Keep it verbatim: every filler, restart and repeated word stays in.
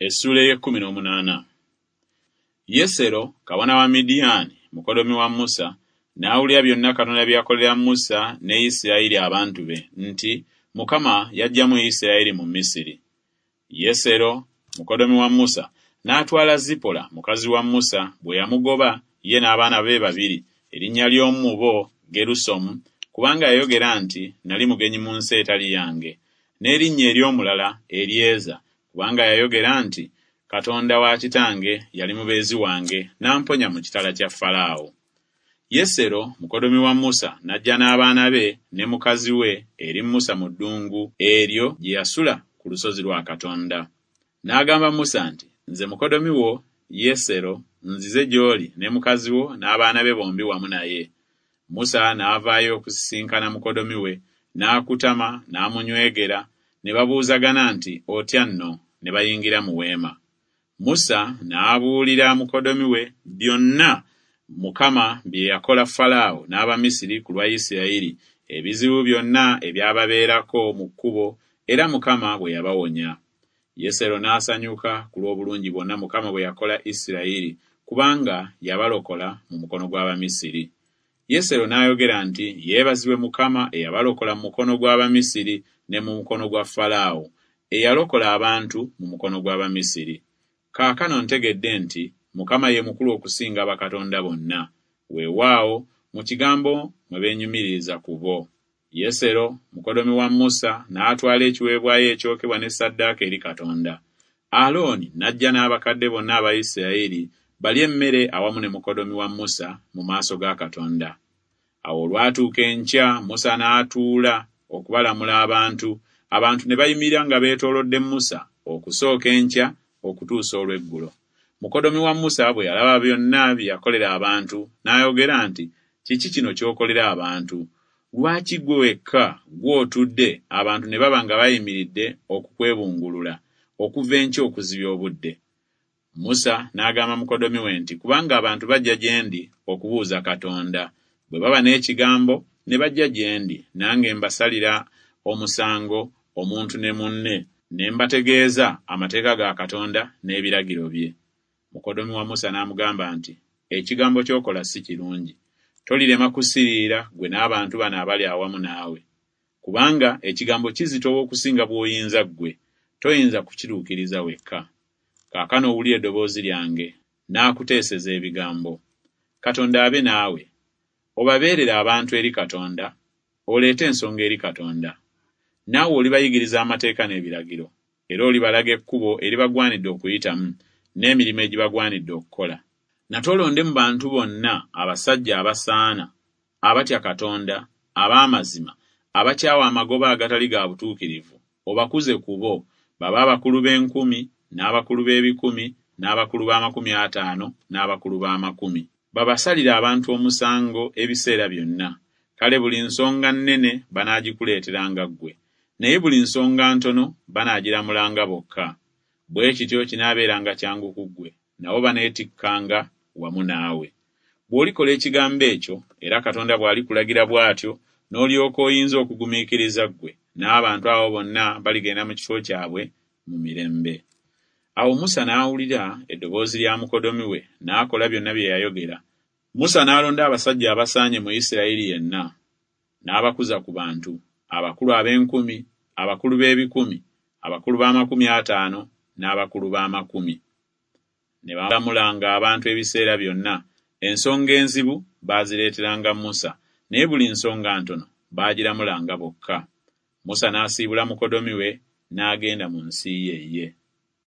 Essuula ey'ekkumi n'omunaana. Yesero kabona wa Midiyaani, mukoddomi wa Musa, n'awulira byonna Katonda bye yakolera Musa ne Isirayiri abantu be, nti Mukama yaggyamu Isirayiri mu Misiri. Yesero mukoddomi wa Musa n'atwala Zipola mukazi wa Musa bwe yamugoba ye n'abaana be babiri, erinnya ly'omu mu bo Gerusomu, kubanga yayogera nti nali mugenyi mu nsi etali yange, n'erinnya ery'omulala Eryeza, kubanga yayogera nti Katonda wa kitange yali mubeezi wange n'amponya mu kitala kya Falaawo. Yesero mukoddomi wa Musa n'ajja n'abaana be ne mukazi we eri Musa mu ddungu eryo gye yasula ku lusozi lwa Katonda. N'agamba Musa nti, Nze mukoddomi wo Yesero nzize gy'oli ne mukazi wo n'abaana be bombi wamu naye. Musa n'avaayo okusisinkana mukoddomi we, n'akutama n'amunywegera, ne babuuzagana nti, Otya nno? Ne bayingira mu weema. Musa n'abuulira mukoddomi we byonna Mukama bye yakola Falaawo n'Abamisiri ku lwa Isirayiri, ebizibu byonna ebyababeerako mu kkubo, era Mukama bwe yabawonya. Yesero n'asanyuka ku lw'obulungi bwonna Mukama bwe yakola Isirayiri, kubanga yabalokola mu mukono gw'Abamisiri. Yesero n'ayogera nti, Yeebazibwe Mukama eyabalokola mu mukono gw'Abamisiri ne mu mukono gwa Falaawo, eyalokola abantu mu mukono gw'Abamisiri. Kaakano ntegedde nti Mukama ye mukulu okusinga bakatonda bonna, weewaawo mu kigambo mwe beenyumiririza ku bo. Yesero mukoddomi wa Musa n'atwala ekiweebwayo ekyokebwa ne ssaddaaka eri Katonda. Alooni n'ajja n'abakadde bonna aba Isirayiri balye emmere awamu ne mukoddomi wa Musa mu maaso ga Katonda. Awo olwatuuka enkya Musa n'atuula okubalamula abantu, abantu ne bayimirira nga beetoolodde Musa okusooka enkya okutuusa olw'eggulo. Mukoddomi wa Musa bwe yalaba byonna bye yakolera abantu, n'ayogera nti, Kiki kino ky'okolera abantu? Lwaki ggwe wekka ggwe otudde, abantu ne baba nga bayimiridde okukwebungulula, okuva enkya okuzibya obudde? Musa n'agamba mukoddomi we nti, Kubanga abantu bajja gye ndi okubuuza Katonda. Bwe baba n'ekigambo ne bajja gye ndi, nange mbasalira omusango omuntu ne munne, ne mbategeeza amateeka ga Katonda n'ebiragiro bye. Mukoddomi wa Musa n'amugamba nti, Ekigambo ky'okola si kirungi. Tolirema kusiriira ggwe n'abantu bano abali awamu naawe. Kubanga ekigambo kizitowa okusinga bw'oyinza ggwe, toyinza kukituukiriza wekka. Kaakano owulire eddoboozi lyange, n'akuteeseza ebigambo. Katonda abe naawe. Obabeerere abantu eri Katonda, oleete ensonga eri Katonda. Naawe olibayigiriza amateeka n'ebiragiro, era olibalaga ekkubo eribagwanidde okuyitamu, n'emirimu egibagwanidde okukola. Nate olonde mu bantu bonna abasajja abasaana, abatya Katonda, ab'amazima, abakyawa amagoba agatali ga butuukirivu, obakuze ku bo, babe abakulu b'enkumi, n'abakulu b'ebikumi, n'abakulu b'amakumi ataano, n'abakulu b'amakumi. Babasalire abantu omusango ebiseera byonna. Kale buli nsonga nnene banaagikuleeteranga ggwe, naye buli nsonga ntono banaagiramulanga bokka. Bwe kityo kinaabeeranga kyangu ku ggwe, nabo baneetikkanga wamu naawe. Bw'olikola ekigambo ekyo, era Katonda bw'alikulagira bw'atyo, n'olyoka oyinza okugumiikiriza ggwe, n'abantu abo bonna baligenda mu kifo kyabwe mu mirembe. Awo Musa n'awulira eddoboozi lya mukoddomi we, n'akola byonna bye yayogera. Musa n'alonda abasajja abasaanye mu Isirayiri yenna, n'abakuza ku bantu, abakulu ab'enkumi, abakulu b'ebikumi, abakulu b'amakumi ataano, n'abakulu b'amakumi. Ne balamulanga abantu ebiseera byonna, ensonga enzibu baazireeteranga Musa, naye buli nsonga ntono baagiramulanga bokka. Musa n'asiibula mukoddomi we n'agenda mu nsi ye ye.